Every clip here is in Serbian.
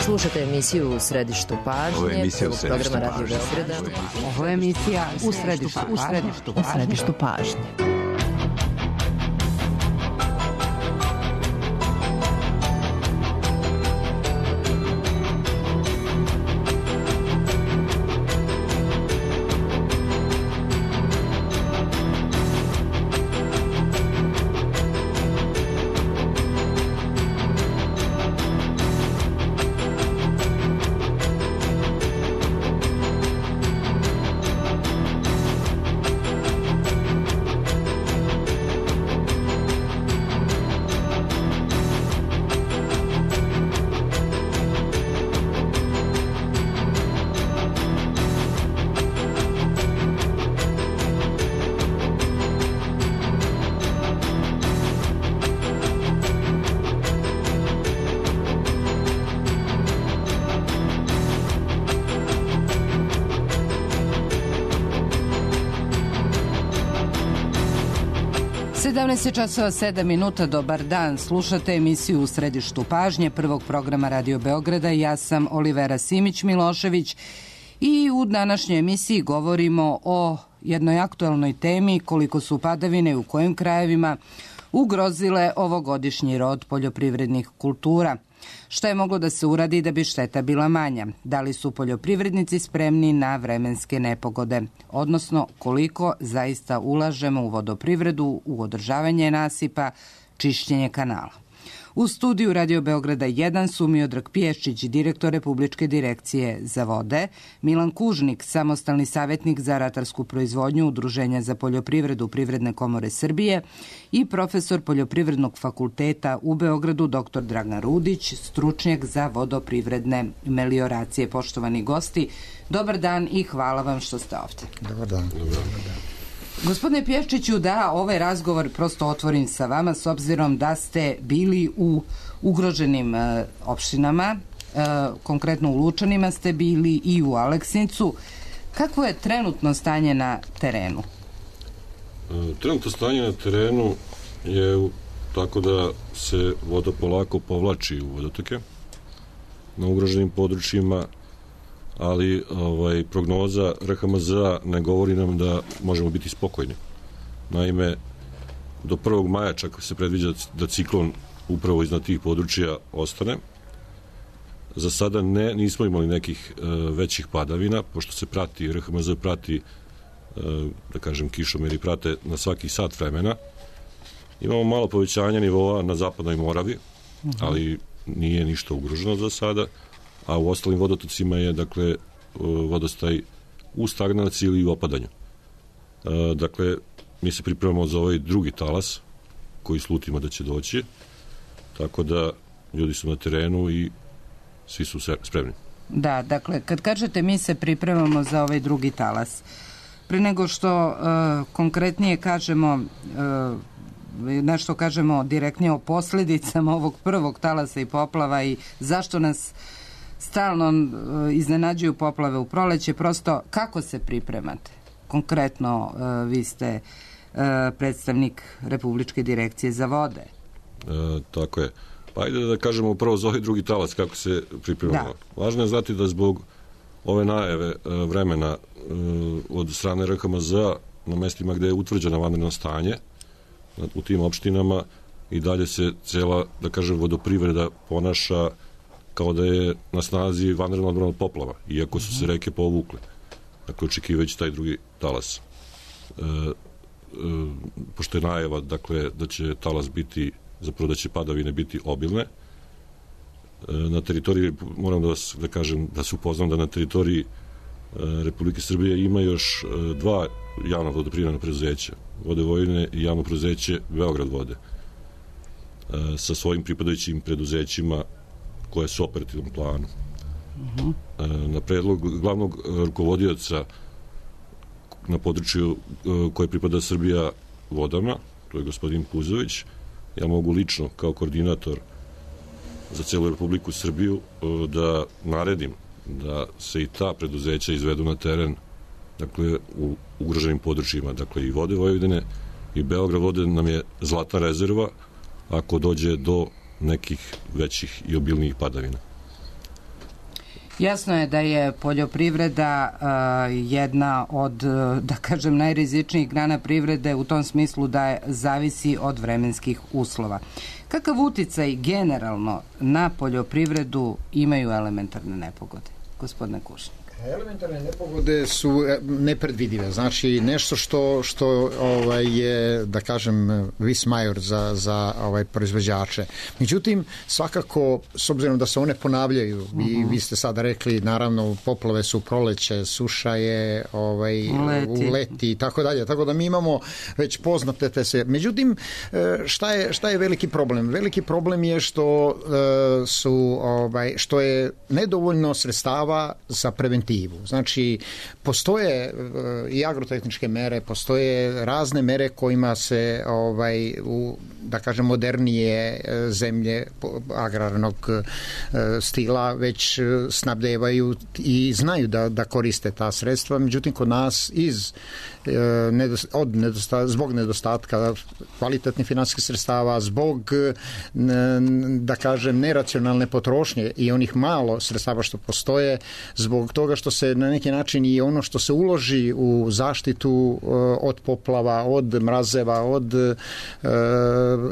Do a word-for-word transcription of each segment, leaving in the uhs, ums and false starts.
Slušate emisiju U središtu pažnje. Ovo je emisija U središtu programa pažnje. Radio Beograda. Ovo je emisija U središtu U središtu pažnje. U središtu pažnje. sedamnaest časova sedam minuta, dobar dan. Slušate emisiju U središtu pažnje prvog programa Radio Beograda. Ja sam Olivera Simić-Milošević i u današnjoj emisiji govorimo o jednoj aktuelnoj temi, koliko su padavine i u kojim krajevima ugrozile ovogodišnji rod poljoprivrednih kultura. Šta je moglo da se uradi da bi šteta bila manja? Da li su poljoprivrednici spremni na vremenske nepogode? Odnosno, koliko zaista ulažemo u vodoprivredu, u održavanje nasipa, čišćenje kanala? U studiju Radio Beograda jedan su Miodrag Pješčić, direktor Republičke direkcije za vode, Milan Kužnik, samostalni savjetnik za ratarsku proizvodnju Udruženja za poljoprivredu Privredne komore Srbije i profesor Poljoprivrednog fakulteta u Beogradu doktor Dragan Rudić, stručnjak za vodoprivredne melioracije. Poštovani gosti, dobar dan i hvala vam što ste ovdje. Dobar dan. Dobar dan. Gospodine Pješčiću, da ovaj razgovor prosto otvorim sa vama s obzirom da ste bili u ugroženim e, opštinama, e, konkretno u Lučanima ste bili i u Aleksincu. Kakvo je trenutno stanje na terenu? E, trenutno stanje na terenu je tako da se voda polako povlači u vodotoke na ugroženim područjima, ali ovaj, prognoza R H M Z-a ne govori nam da možemo biti spokojni. Naime, do prvog maja čak se predviđa da ciklon upravo iznad tih područja ostane. Za sada ne, nismo imali nekih e, većih padavina, pošto se prati, R H M Z prati, e, da kažem, kišomeri prate na svaki sat vremena. Imamo malo povećanja nivoa na zapadnoj Moravi, uh-huh. ali nije ništa ugroženo za sada, a u ostalim vodotocima je, dakle, vodostaj u stagnaciji ili u opadanju. E, dakle, mi se pripremamo za ovaj drugi talas, koji slutimo da će doći, tako da ljudi su na terenu i svi su spremni. Da, dakle, kad kažete mi se pripremamo za ovaj drugi talas, pre nego što uh, konkretnije kažemo, uh, nešto kažemo direktnije o posljedicama ovog prvog talasa i poplava i zašto nas stalno uh, iznenađuju poplave u proleće, prosto kako se pripremate? Konkretno, uh, vi ste uh, predstavnik Republičke direkcije za vode. E, tako je. Pa ajde da kažemo upravo za ovaj drugi talas kako se pripremamo. Da. Važno je znati da zbog ove najave e, vremena e, od strane R H M Z-a na mestima gde je utvrđeno vanredno stanje u tim opštinama i dalje se cela, da kažem, vodoprivreda ponaša kao da je na snazi vanredna odbrana od poplava, iako su se reke povukle. Dakle, očekivajući taj drugi talas. E, e, pošto je najava, dakle, da će talas biti, zapravo da će padavine biti obilne, e, na teritoriji, moram da vas, da kažem, da se upoznam da na teritoriji e, Republike Srbije ima još e, dva javna vodoprivredna preduzeća, Vode Vojvodine i javno preduzeće Beograd vode, e, sa svojim pripadajućim preduzećima koje su u operativnom planu. Uh-huh. E, na predlog glavnog rukovodioca na području e, koje pripada Srbija vodama, to je gospodin Puzović, ja mogu lično kao koordinator za celu Republiku Srbiju e, da naredim da se i ta preduzeća izvedu na teren, dakle, u ugroženim područjima, dakle, i Vode Vojvodine i Beograd vode nam je zlatna rezerva ako dođe do nekih većih i obilnijih padavina. Jasno je da je poljoprivreda uh, jedna od, da kažem, najrizičnijih grana privrede u tom smislu da je, zavisi od vremenskih uslova. Kakav uticaj generalno na poljoprivredu imaju elementarne nepogode, gospodine Kušnjak? Elementarne nepogode su nepredvidive, znači nešto što, što ovaj, je, da kažem, vis major za, za ovaj, proizvođače. Međutim, svakako, s obzirom da se one ponavljaju, uh-huh. i vi ste sada rekli, naravno, poplave su proleće, suša je ovaj, leti. u leti i tako dalje, tako da mi imamo već poznate te se. Međutim, šta je, šta je veliki problem? Veliki problem je što su, ovaj, što je nedovoljno sredstava za preventivu. Znači, postoje i agrotehničke mere, postoje razne mere kojima se, ovaj, u, da kažem, modernije zemlje agrarnog stila već snabdevaju i znaju da, da koriste ta sredstva. Međutim, kod nas iz od nedostatka, zbog nedostatka kvalitetnih finansijskih sredstava, zbog, da kažem, neracionalne potrošnje i onih malo sredstava što postoje, zbog toga što se na neki način i ono što se uloži u zaštitu od poplava, od mrazeva, od uh,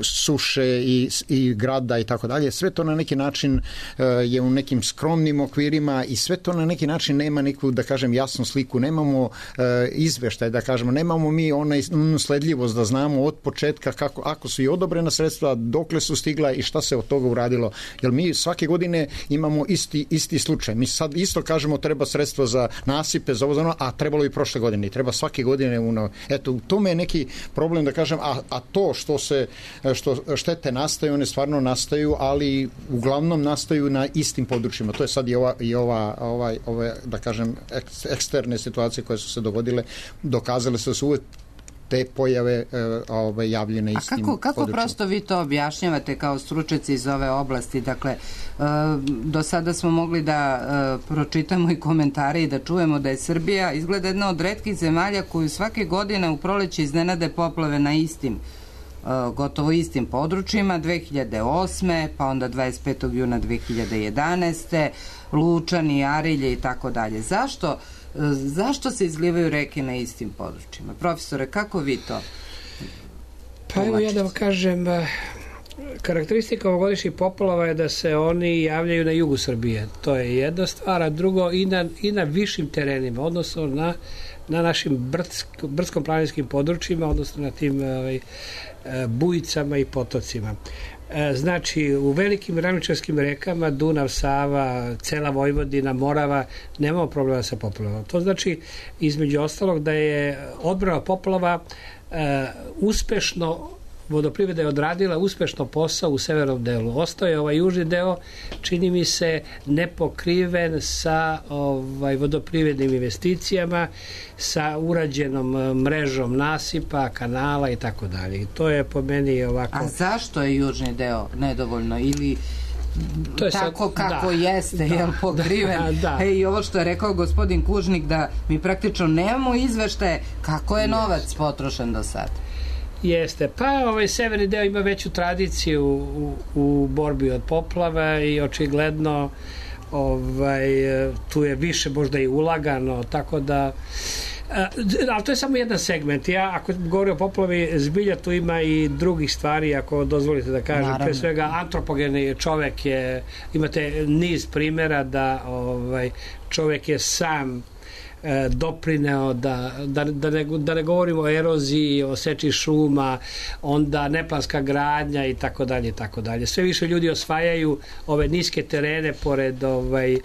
suše i, i grada i tako dalje, sve to na neki način uh, je u nekim skromnim okvirima i sve to na neki način nema neku, da kažem, jasnu sliku, nemamo uh, izveštaj, da kažemo, nemamo mi onaj sledljivost da znamo od početka kako, ako su i odobrena sredstva, dokle su stigla i šta se od toga uradilo. Jer mi svake godine imamo isti, isti slučaj. Mi sad isto kažemo treba sredstva za nasipe, za ovo, za ono, a trebalo i prošle godine. I treba svake godine. Uno. Eto, u tome je neki problem, da kažem, a, a to što se što štete nastaju, one stvarno nastaju, ali uglavnom nastaju na istim područjima. To je sad i ova, i ova, ova, ova da kažem, ek, eksterne situacije koje su se dogodile, dokazale se da su uvek te pojave ove, javljene istim područjima. A kako, kako prosto vi to objašnjavate kao stručnjaci iz ove oblasti? Dakle, do sada smo mogli da pročitamo i komentare i da čujemo da je Srbija izgleda jedna od retkih zemalja koju svake godine u proleće iznenade poplave na istim, gotovo istim područjima, dve hiljade osme, pa onda dvadeset petog juna dve hiljade jedanaeste, Lučani, Arilje i tako dalje. Zašto Zašto se izlivaju reke na istim područjima? Profesore, kako vi to? Pa evo ja da vam kažem, karakteristika ovogodišnjih poplava je da se oni javljaju na jugu Srbije. To je jedna stvar, a drugo i na, i na višim terenima, odnosno na, na našim brdsko, brdsko-planinskim područjima, odnosno na tim ovaj, bujicama i potocima. Znači, u velikim ravničarskim rekama, Dunav, Sava, cela Vojvodina, Morava, nemamo problema sa poplavama. To znači, između ostalog, da je odbrana poplava uh, uspešno, vodoprivreda je odradila uspešno posao u severnom delu. Ostao je ovaj južni deo, čini mi se, nepokriven sa ovaj, vodoprivrednim investicijama, sa urađenom mrežom nasipa, kanala i tako dalje. I to je po meni ovako... A zašto je južni deo nedovoljno ili to je tako sad, kako da, jeste, da, jel pokriven? Da, da. E, i ovo što je rekao gospodin Kužnik, da mi praktično nemamo izveštaje kako je novac potrošen do sada. Jeste, pa ovaj severni deo ima veću tradiciju u, u borbi od poplava i očigledno ovaj, tu je više možda i ulagano, tako da ali to je samo jedan segment. Ja, ako govorim o poplavi, zbilja tu ima i drugih stvari, ako dozvolite da kažem. Naravno. Pre svega, antropogeni čovek je, imate niz primjera da ovaj, čovek je sam doprineo da, da, da, ne, da ne govorimo o eroziji, o seči šuma, onda neplanska gradnja i tako dalje i tako dalje. Sve više ljudi osvajaju ove niske terene pored ovaj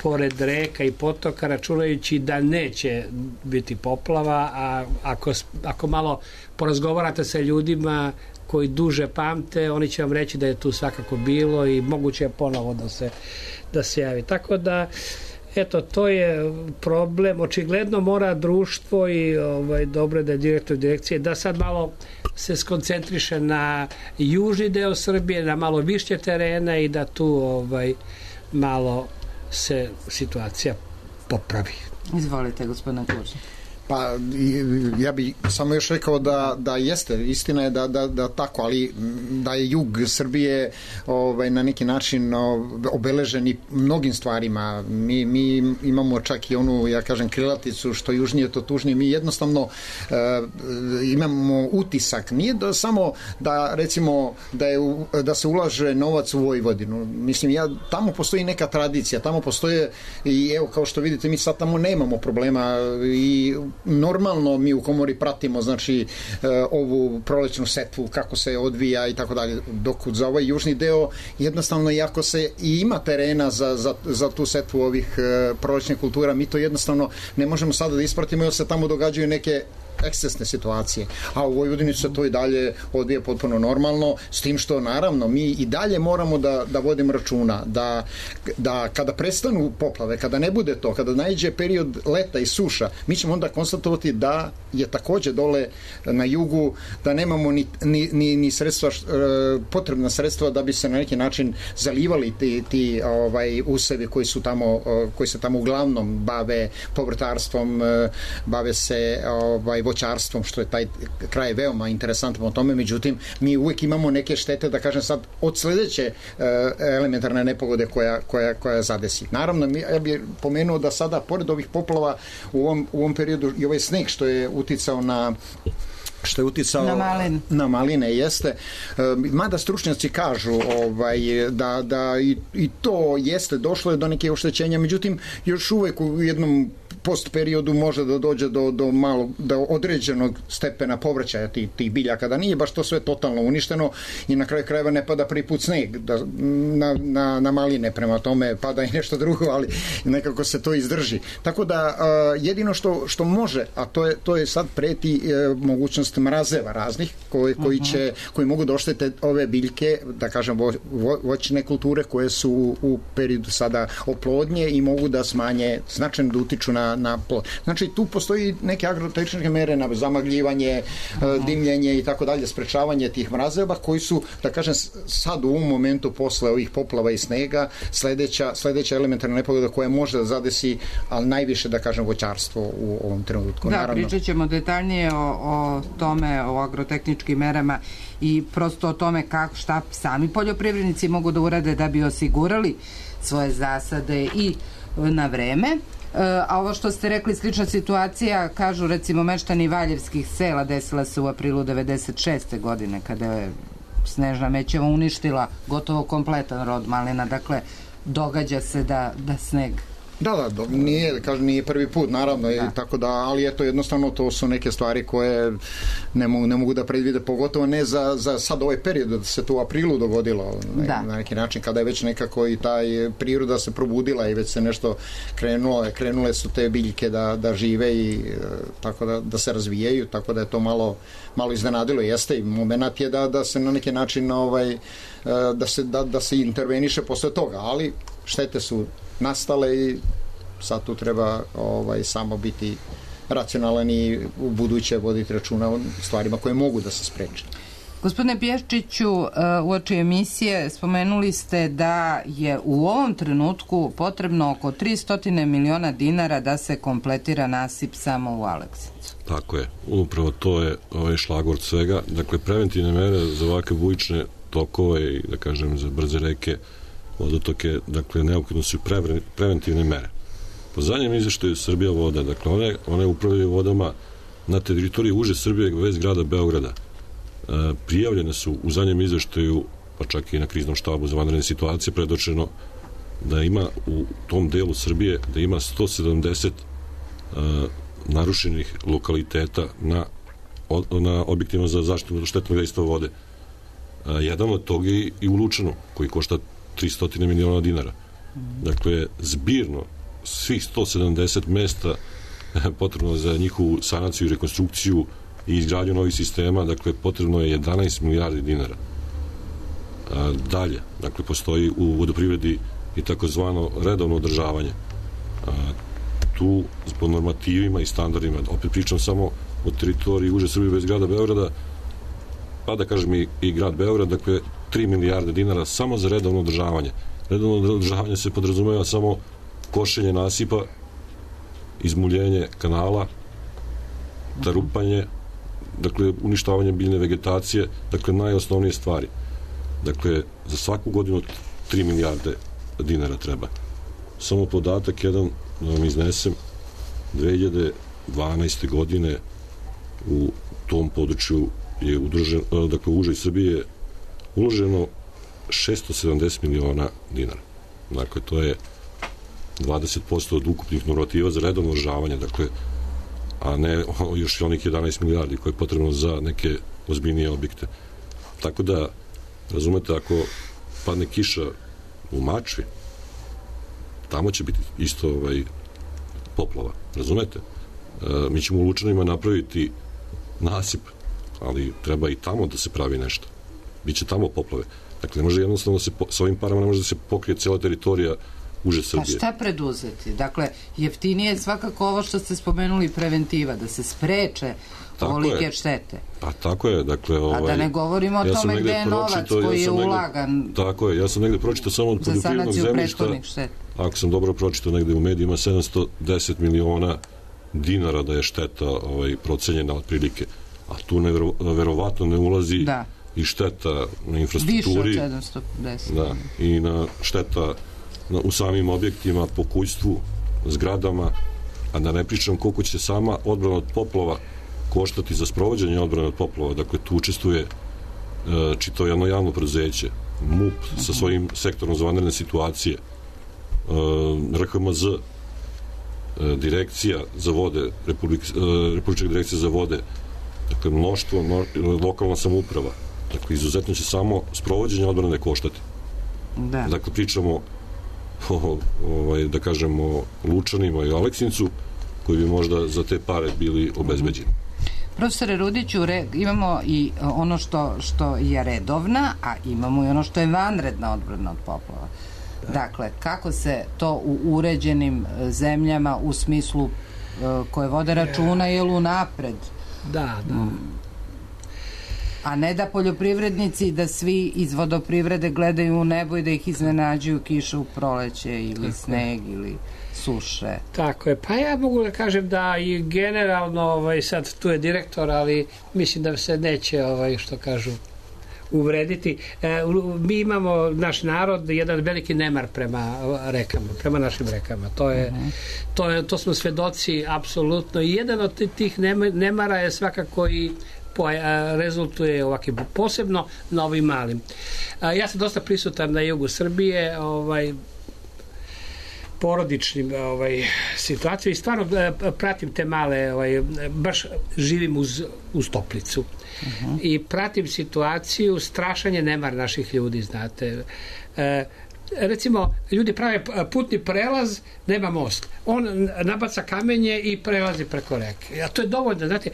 pored reka i potoka, računajući da neće biti poplava, a ako, ako malo porazgovarate sa ljudima koji duže pamte, oni će vam reći da je tu svakako bilo i moguće je ponovo da se, da se javi. Tako da eto, to je problem. Očigledno mora društvo i ovaj, dobro da je direktor direkcije da sad malo se skoncentriše na južni deo Srbije, na malo više terena i da tu ovaj, malo se situacija popravi. Izvolite, gospodine Kužnik. Pa ja bih samo još rekao da, da jeste, istina je da, da, da tako, ali da je jug Srbije ovaj, na neki način obeležen i mnogim stvarima. Mi, mi imamo čak i onu, ja kažem, krilaticu, što južnije to tužnije. Mi jednostavno uh, imamo utisak. Nije da samo da recimo da, je, da se ulaže novac u Vojvodinu. Mislim, ja, tamo postoji neka tradicija, tamo postoje i evo kao što vidite mi sad tamo nemamo problema i normalno mi u komori pratimo znači ovu prolećnu setvu kako se odvija i tako dalje, dok za ovaj južni deo jednostavno iako se i ima terena za, za, za tu setvu ovih prolećnih kultura, mi to jednostavno ne možemo sada da ispratimo jer se tamo događaju neke ekscesne situacije, a u Vojvodini se to i dalje odvija potpuno normalno, s tim što naravno mi i dalje moramo da, da vodimo računa da, da kada prestanu poplave, kada ne bude to, kada naiđe period leta i suša, mi ćemo onda konstatovati da je takođe dole na jugu, da nemamo ni, ni, ni, ni sredstva, potrebna sredstva da bi se na neki način zalivali ti, ti ovaj, usevi koji su tamo, koji se tamo uglavnom bave povrtarstvom, bave se ovaj, voćarstvom, što je taj kraj veoma interesantan o tome, međutim mi uvek imamo neke štete, da kažem sad, od sledeće uh, elementarne nepogode koja, koja, koja zadesi. Naravno, mi, ja bih pomenuo da sada, pored ovih poplava, u ovom, u ovom periodu i ovaj sneg što je uticao na što je uticao na, malin. na maline jeste, mada stručnjaci kažu ovaj, da, da i, i to jeste, došlo je do neke oštećenja, međutim još uvek u jednom post periodu može da dođe do, do malo, do određenog stepena povraćaja tih, tih biljaka, da nije baš to sve totalno uništeno i na kraju krajeva ne pada prvi put sneg da, na, na, na maline, prema tome pada i nešto drugo, ali nekako se to izdrži. Tako da jedino što, što može, a to je, to je sad preti mogućnost mrazeva raznih koji, koji, će, koji mogu da oštete ove biljke, da kažem vo, vo, voćne kulture koje su u, u periodu sada oplodnje i mogu da smanje, značajno da utiču na na plod. Znači tu postoji neke agrotehničke mere na zamagljivanje, dimljenje i tako dalje, sprečavanje tih mrazeva koji su, da kažem, sad u ovom momentu posle ovih poplava i snega sledeća, sledeća elementarna nepogoda koja može da zadesi, ali najviše, da kažem, voćarstvo u ovom trenutku. Da, naravno. Pričat ćemo detaljnije o, o tome, o agrotehničkim merama i prosto o tome kako, šta sami poljoprivrednici mogu da urade da bi osigurali svoje zasade i na vreme. A ovo što ste rekli, slična situacija, kažu recimo meštani Valjevskih sela, desila se u aprilu devedeset šeste godine kada je snežna mećava uništila gotovo kompletan rod malina, dakle događa se da, da sneg Da, da, nije, kažem, nije prvi put, naravno, da. Tako da, ali eto, jednostavno to su neke stvari koje ne mogu, ne mogu da predvide, pogotovo ne za, za sad ovaj period, da se to u aprilu dogodilo, da. Na neki način, kada je već nekako i taj priroda se probudila i već se nešto krenulo, krenule su te biljke da, da žive i tako da, da se razvijaju, tako da je to malo, malo iznenadilo, jeste i moment je da, da se na neki način ovaj, da se, da, da se interveniše posle toga, ali štete su nastale i sad tu treba ovaj, samo biti racionalan i u buduće voditi računa o stvarima koje mogu da se spreče. Gospodine Pješčiću, u oči emisije spomenuli ste da je u ovom trenutku potrebno oko tristo miliona dinara da se kompletira nasip samo u Aleksincu. Tako je, upravo to je ovaj šlagvort svega. Dakle, preventivne mere za ovakve bujične tokove i, da kažem, za brze reke, vodotoke, dakle, neophodno su pre, preventivne mere. Po zadnjem izveštaju Srbija voda, dakle, one, one upravljaju vodama na teritoriji uže Srbije bez grada Beograda. E, prijavljene su u zadnjem izveštaju, pa čak i na kriznom štabu za vanredne situacije, predočeno da ima u tom delu Srbije, da ima sto sedamdeset e, narušenih lokaliteta na, na objektima za zaštitu od štetnog dejstva vode. E, jedan od toga je i u Lučanu, koji košta tristo miliona dinara. Dakle, zbirno svih sto sedamdeset mesta potrebno za njihovu sanaciju i rekonstrukciju i izgradnju novih sistema, dakle, potrebno je jedanaest milijardi dinara. A, dalje, dakle, postoji u vodoprivredi i takozvano redovno održavanje. A, tu, po normativima i standardima, opet pričam samo o teritoriji uže Srbije bez grada Beograda, pa da kažem i, i grad Beograd, dakle, tri milijarde dinara samo za redovno održavanje. Redovno održavanje se podrazumeva samo košenje nasipa, izmuljenje kanala tarupanje, dakle, uništavanje biljne vegetacije, dakle, najosnovnije stvari. Dakle, za svaku godinu tri milijarde dinara treba. Samo podatak jedan da vam iznesem, dve hiljade dvanaeste. godine u tom području je udružen, dakle, u užoj Srbije uloženo šesto sedamdeset miliona dinara. Dakle, to je dvadeset posto od ukupnih normativa za redovno održavanje, dakle, a ne još onih jedanaest milijardi koje je potrebno za neke ozbiljnije objekte. Tako da, razumete, ako padne kiša u Mačvi, tamo će biti isto ovaj, poplava, razumete? E, mi ćemo u Lučanima napraviti nasip, ali treba i tamo da se pravi nešto. Biće tamo poplave. Dakle, ne može jednostavno se, sa ovim parama ne može da se pokrije cijela teritorija uže Srbije. A šta preduzeti? Dakle, jeftinije je svakako ovo što ste spomenuli, preventiva, da se spreče ovolike štete. Pa tako je, dakle... Ovaj, a da ne govorimo o ja tome gde je novac koji ja je ulagan. Negde, tako je, ja sam negde pročitao samo od poljoprivrednog zemljišta, ako sam dobro pročitao negde u medijima, sedamsto deset miliona dinara da je šteta ovaj, procenjena otprilike. A tu nevero, verovatno ne ulazi da. I šteta na infrastrukturi. Više od sedamsto deset. Da, i na šteta na, u samim objektima, pokućstvu, zgradama, a da ne pričam koliko će sama odbrana od poplava koštati za sprovođenje odbrane od poplava. Dakle, tu učestvuje e, čitavo jedno javno preduzeće, M U P sa svojim sektorom za vanredne situacije, e, R H M Z, e, direkcija za vode, Republik, e, Republička direkcija za vode, dakle, mnoštvo, mno, lokalna samouprava. Dakle, izuzetno će samo sprovođenje odbrane koštati. Da. Dakle, pričamo o, ovaj, da kažemo, Lučanima i Aleksincu, koji bi možda za te pare bili obezbeđeni. Profesore Rudiću, re, imamo i ono što, što je redovna, a imamo i ono što je vanredna odbrana od poplava. Da. Dakle, kako se to u uređenim zemljama u smislu uh, koje vode računa je li unapred? Da, da. Mm. A ne da poljoprivrednici, da svi iz vodoprivrede gledaju u nebo i da ih iznenađuju kiša u proleće ili tako sneg je. Ili suše. Tako je. Pa ja mogu da kažem da i generalno, ovaj, sad tu je direktor, ali mislim da se neće, ovaj, što kažu, uvrediti. E, mi imamo, naš narod, jedan veliki nemar prema rekama, prema našim rekama. To je, uh-huh. to, je to smo svedoci apsolutno. I jedan od tih nemara je svakako i rezultuje ovakvim, posebno na ovim malim. Ja sam dosta prisutan na jugu Srbije, ovaj, porodičnim ovaj, situaciju i stvarno pratim te male, ovaj, baš živim uz, uz Toplicu. Uh-huh. I pratim situaciju, strašan je nemar naših ljudi, znate. E, recimo, ljudi prave putni prelaz, nema most. On nabaca kamenje i prelazi preko reke. A to je dovoljno, znate,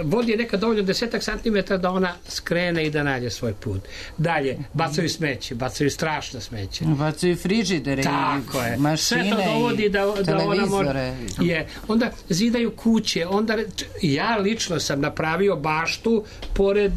vodi je nekad dovoljno desetak santimetara da ona skrene i da nađe svoj put. Dalje, bacaju smeće, bacaju strašno smeće. Bacaju frižidere i mašine sve to dovodi da, da ona može... Je. Onda zidaju kuće, onda ja lično sam napravio baštu pored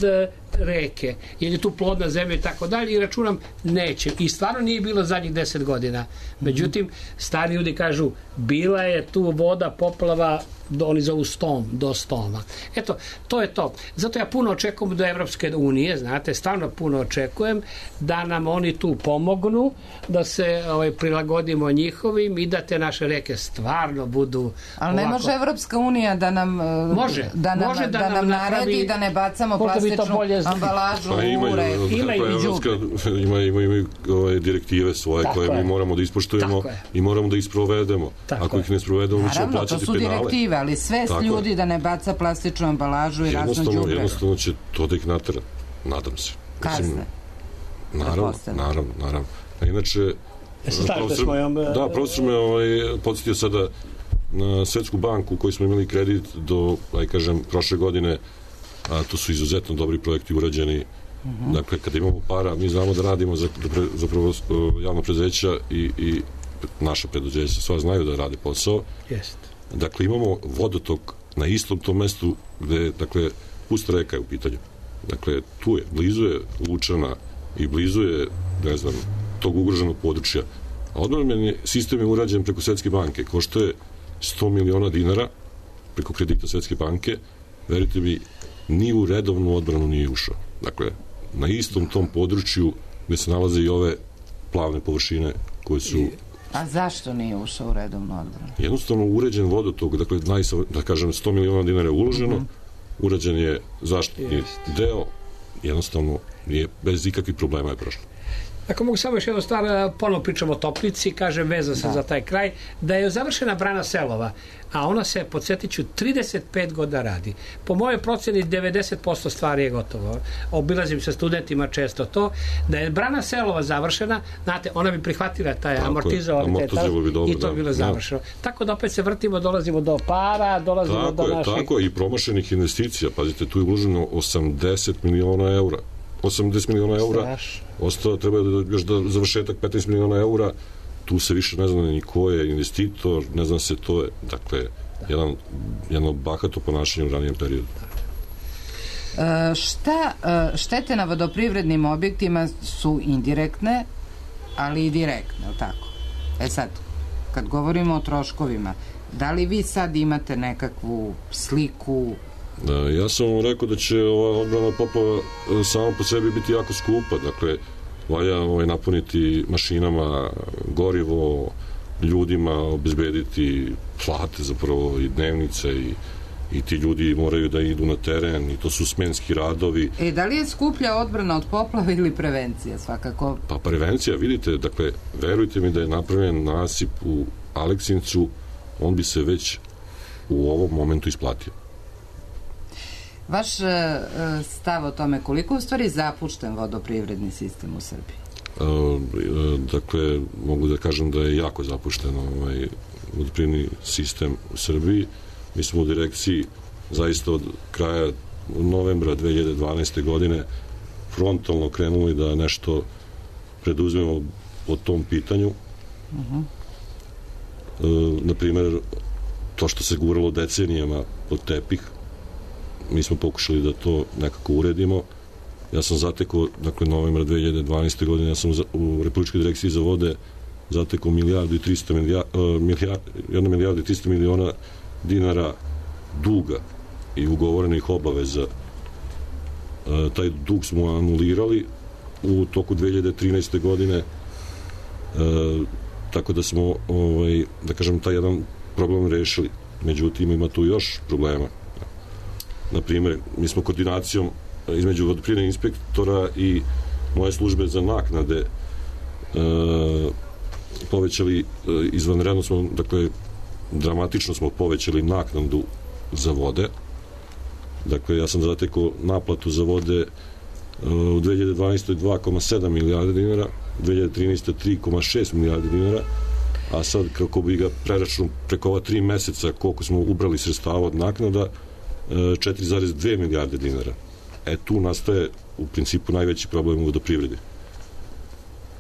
reke, jer je tu plodna zemlja i tako dalje i računam neće. I stvarno nije bilo zadnjih deset godina. Međutim, stari ljudi kažu, bila je tu voda, poplava, oni zovu stom, do stoma. Eto, to je to. Zato ja puno očekujem do Evropske unije, znate, stvarno puno očekujem da nam oni tu pomognu, da se ovaj, prilagodimo njihovim i da te naše reke stvarno budu ali ne ovako... može Evropska unija da nam može, da nam, može da, da nam naredi da ne bacamo plastičnu ambalažu pa ima, u reku. Ima, ima, ima, ima, ima ovaj, direktive svoje tako koje je. Mi moramo da ispoštujemo i moramo da isprovedemo. Tako ako ih ne sprovedemo, mi ćemo plaćati penale. Naravno, to su direktive, ali sve s ljudi da ne baca plastičnu ambalažu i razno đubre. Jednostavno će to da ih natera. Nadam se. Kazne. Naravno, naravno, naravno. A inače, profesor, mojom... da, profesor me ovaj, podsjetio sada na Svetsku banku u kojoj smo imali kredit do, aj kažem, prošle godine, a to su izuzetno dobri projekti urađeni. Uh-huh. Dakle, kada imamo para, mi znamo da radimo za, zapravo javno preduzeća i, i naša preduzeća, sva znaju da rade posao. Jest. Dakle, imamo vodotok na istom tom mestu gde, dakle, pusta reka je u pitanju. Dakle, tu je, blizu je Lučana i blizu je, ne znam, tog ugroženog područja. A odbrambeni sistem je urađen preko Svetske banke, košta je sto miliona dinara preko kredita Svetske banke, verujte mi, ni u redovnu odbranu nije ušao. Dakle, na istom tom području gde se nalaze i ove plavne površine koje su... A zašto nije ušao u redovnu odbranu? Jednostavno uređen vodotok, dakle, najsa, da kažem, sto miliona dinara je uloženo, mm -hmm. urađen je zaštitni Just. deo, jednostavno je bez ikakvih problema je prošlo. Ako mogu samo još jednu stvar, ponovno pričamo o Toplici, kažem veza se da. za taj kraj, da je završena brana Selova, a ona se, podsjetit ću, trideset pet godina radi. Po mojoj proceni devedeset posto stvari je gotovo. Obilazim sa studentima često to, da je brana Selova završena, znate, ona bi prihvatila taj amortizovali i to bi bilo da. završeno. Tako da opet se vrtimo, dolazimo do para, dolazimo tako do je, naših... Tako je, i promašenih investicija. Pazite, tu je uloženo osamdeset miliona eura. osamdeset miliona eura, ostao treba da još da završetak petnaest miliona eura, tu se više ne zna ni ko je investitor, ne zna se, to je, dakle, jedan, jedno bahato ponašanje u ranijem periodu. E, šta, štete na vodoprivrednim objektima su indirektne, ali i direktne, je tako? E sad, kad govorimo o troškovima, da li vi sad imate nekakvu sliku? Da, ja sam vam rekao da će ova odbrana poplava samo po sebi biti jako skupa, dakle valja ovaj, napuniti mašinama gorivo, ljudima obezbediti plate zapravo i dnevnice i, i ti ljudi moraju da idu na teren i to su smenski radovi. E, da li je skuplja odbrana od poplava ili prevencija svakako? Pa prevencija, vidite, dakle, verujte mi da je napravljen nasip u Aleksincu, on bi se već u ovom momentu isplatio. Vaš uh, stav o tome koliko u stvari zapušten vodoprivredni sistem u Srbiji? Uh, dakle, mogu da kažem da je jako zapušten ovaj vodoprivredni sistem u Srbiji. Mi smo u direkciji zaista od kraja novembra dve hiljade dvanaeste. godine frontalno krenuli da nešto preduzmemo po tom pitanju. Uh-huh. Uh, na primer, to što se guralo decenijama pod tepih, mi smo pokušali da to nekako uredimo. Ja sam zatekao, dakle, novembra dve hiljade dvanaeste. godine, ja sam u Republičkoj direkciji za vode zatekao milijardu i trista milijardi, jedna milijarda i trista miliona dinara duga i ugovorenih obaveza. Taj dug smo anulirali u toku dve hiljade trinaeste. godine, tako da smo, ovaj, da kažem, taj jedan problem rešili. Međutim, ima tu još problema. Na primjer, mi smo koordinacijom između vodoprivrednih inspektora i moje službe za naknade e, povećali, e, izvanredno smo, dakle, dramatično smo povećali naknadu za vode. Dakle, ja sam zatekao naplatu za vode e, u dve hiljade dvanaestoj. dva zarez sedam milijarde dinara, dve hiljade trinaeste. tri zarez šest milijarde dinara, a sad kako bi ga preračunao preko ova tri meseca koliko smo ubrali sredstava od naknada, četiri zarez dve milijarde dinara. E, tu nastaje u principu najveći problem u vodoprivredi.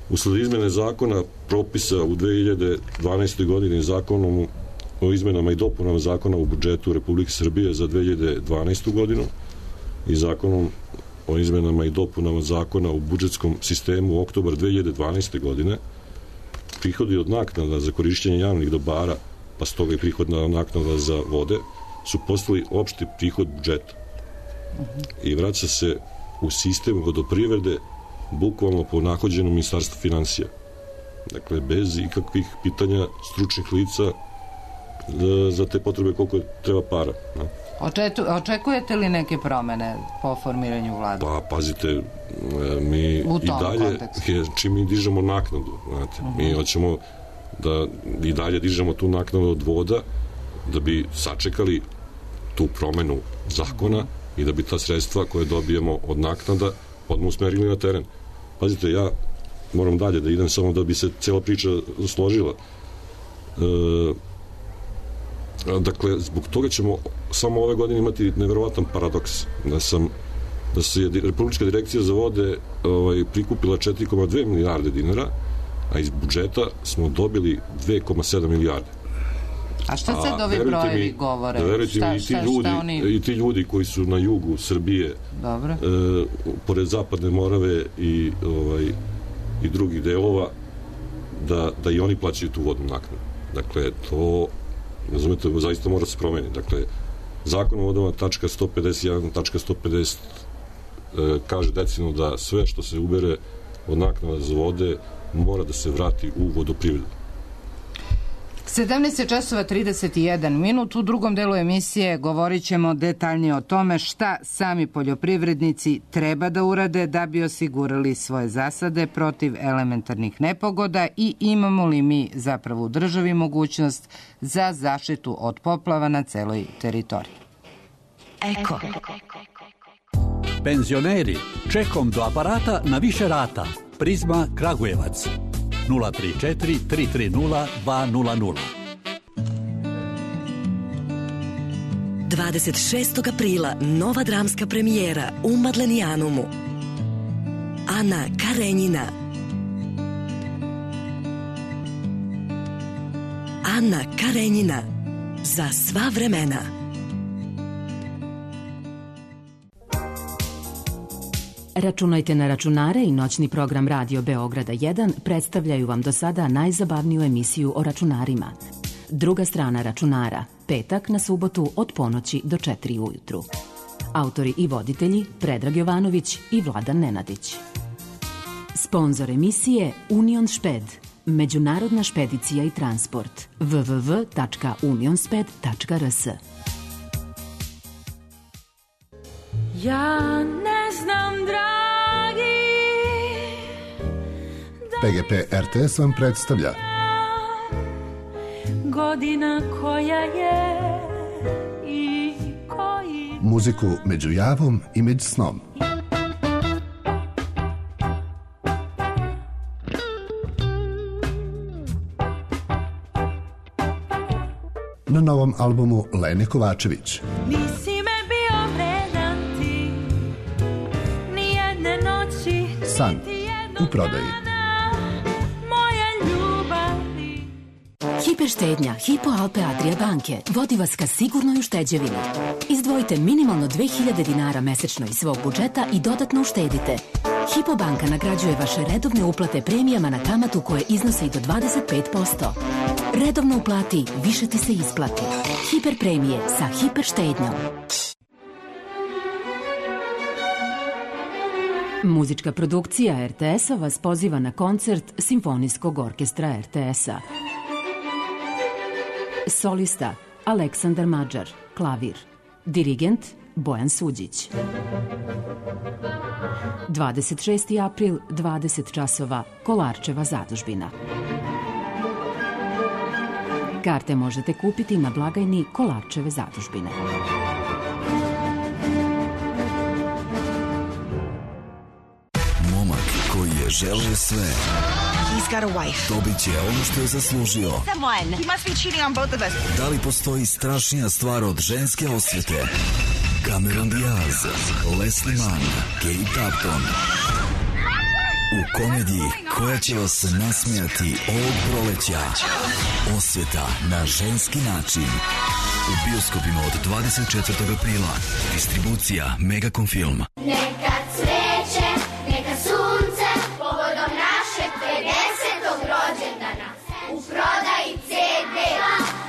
Usled izmene zakona propisa u dve hiljade dvanaestoj. godini zakonom o izmenama i dopunama zakona u budžetu Republike Srbije za dve hiljade dvanaestu. godinu i zakonom o izmenama i dopunama zakona u budžetskom sistemu u oktobar dve hiljade dvanaeste. godine, prihodi od naknada za korišćenje javnih dobara, pa stoga i prihodna naknada za vode, su postali opšti prihod budžeta i vraća se u sistem vodoprivrede bukvalno po nahođenom Ministarstvu finansija. Dakle, bez ikakvih pitanja stručnih lica za te potrebe koliko treba para. No? Očetu, očekujete li neke promene po formiranju vlade? Pa, pazite, mi i dalje, je, čim mi dižemo naknadu, znate, uh-huh. mi hoćemo da i dalje dižemo tu naknadu od voda, da bi sačekali tu promenu zakona i da bi ta sredstva koje dobijemo od naknada odmah usmerili na teren. Pazite, ja moram dalje da idem samo da bi se cela priča složila. E, dakle, zbog toga ćemo samo ove godine imati neverovatan paradoks. Da sam da se je Republička direkcija za vode ovaj, prikupila četiri zarez dve milijarde dinara, a iz budžeta smo dobili dve zarez sedam milijarde. A šta sad ovi brojevi govore? Da verujte mi, i ti, ljudi, oni... i ti ljudi koji su na jugu Srbije, Dobro. E, pored Zapadne Morave i, ovaj, i drugih delova, da, da i oni plaćaju tu vodnu naknadu. Dakle, to, razumete, zaista mora se promeniti. Dakle, Zakon o vodama tačka sto pedeset jedan tačka sto pedeset e, kaže decidno da sve što se ubere od naknada za vode mora da se vrati u vodoprivredu. sedamnaest časova trideset jedan minut. U drugom delu emisije govorit ćemo detaljnije o tome šta sami poljoprivrednici treba da urade da bi osigurali svoje zasade protiv elementarnih nepogoda i imamo li mi zapravo u državi mogućnost za zaštitu od poplava na celoj teritoriji. Eko. Penzioneri, čekom do aparata na više rata. Prizma Kragujevac. nula tri četiri tri tri nula dva nula nula. dvadeset šestog aprila nova dramska premijera u Madlenijanumu. Ana Karenjina. Ana Karenjina. Za sva vremena. Računajte na računare i noćni program Radio Beograda jedan predstavljaju vam do sada najzabavniju emisiju o računarima. Druga strana računara, petak na subotu od ponoći do četiri ujutru. Autori i voditelji Predrag Jovanović i Vladan Nenadić. Sponzor emisije Union Šped, međunarodna špedicija i transport. w w w tačka unionsped tačka r s. Ja ne znam, dragi, P G P R T S vam predstavlja godina koja je i koji... muziku među javom i među snom. Na novom albumu Lene Kovačević. Nisi me bio vredan ti, nijedne noći, San u prodaji. moja ljubavi. Hiperštednja Hypo Alpe Adria banke vodi vas ka sigurnoj ušteđevini. Izdvojite minimalno dve hiljade dinara mesečno iz svog budžeta i dodatno uštedite. Hypo banka nagrađuje vaše redovne uplate premijama na kamatu koje iznose i do dvadeset pet posto. Redovno uplati, više ti se isplati. Hiper premije sa hiperštednjom. Muzička produkcija R T S-a vas poziva na koncert Simfonijskog orkestra R T S-a. Solista Aleksandar Mađar, klavir. Dirigent Bojan Suđić. dvadeset šesti april, dvadeset časova, Kolarčeva zadužbina. Karte možete kupiti na blagajni Kolarčeve zadužbine. Momak koji je želeo sve. He's got a wife. Dobit će ono što je zaslužio. Someone. He must be cheating on both of us. Da li postoji strašnija stvar od ženske osvete? Cameron Diaz, Leslie Mann, Kate Upton. U komediji koja će vas nasmijati ovog proleća. Osveta na ženski način. U bioskopima od dvadeset četvrtog aprila. Distribucija Megacom Film. Neka cveće, neka sunce, povodom našeg pedesetog rođendana. U prodaji C D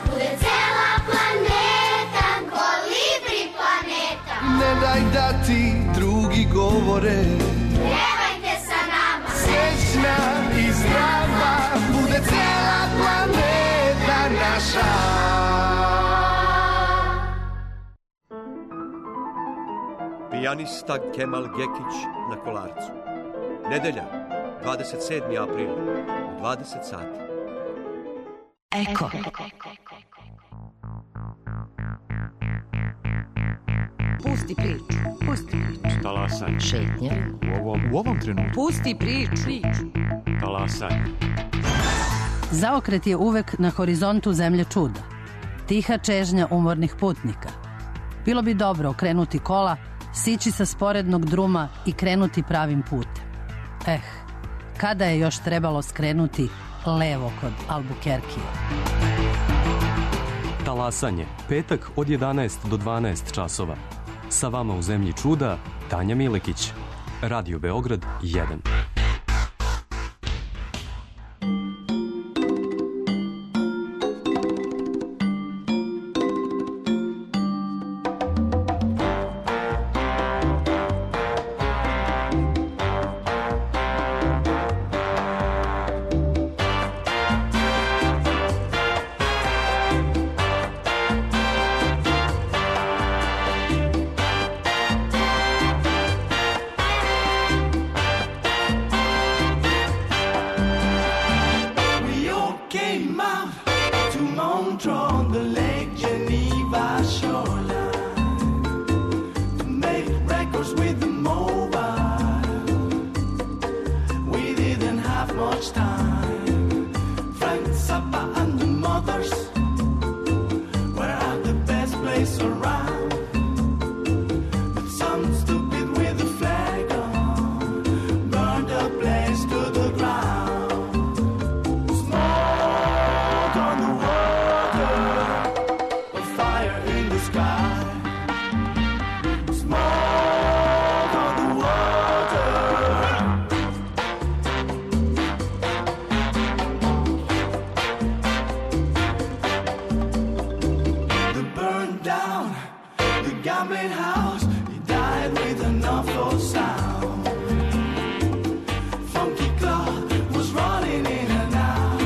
bude cela planeta, kolibri planeta. Ne daj da ti drugi govore, Pjevajte sa nama, srećna i zdrava, bude cela planeta naša. Pijanista Kemal Gekić na Kolarcu. Nedelja, dvadeset sedmi april, u dvadeset sati. Eko. Pusti priču, pusti priču. Talasanje. Šetnje. U ovom, u ovom trenutku. Pusti priču. Talasanje. Zaokret je uvek na horizontu zemlje čuda. Tiha čežnja umornih putnika. Bilo bi dobro okrenuti kola, sići sa sporednog druma i krenuti pravim putem. Eh, kada je još trebalo skrenuti levo kod Albukerkija? Talasanje. Petak od jedanaest do dvanaest časova. Sa vama u zemlji čuda, Tanja Milekić. Radio Beograd jedan. much time. Friends, supper, and the mothers were at the best place around. But some stupid with a flag on burned the place to the ground. Smoke on the water, a fire in the sky. Smoke on the water. They burned down the gambling house. He died with an awful sound. Funky Claude was running in and out,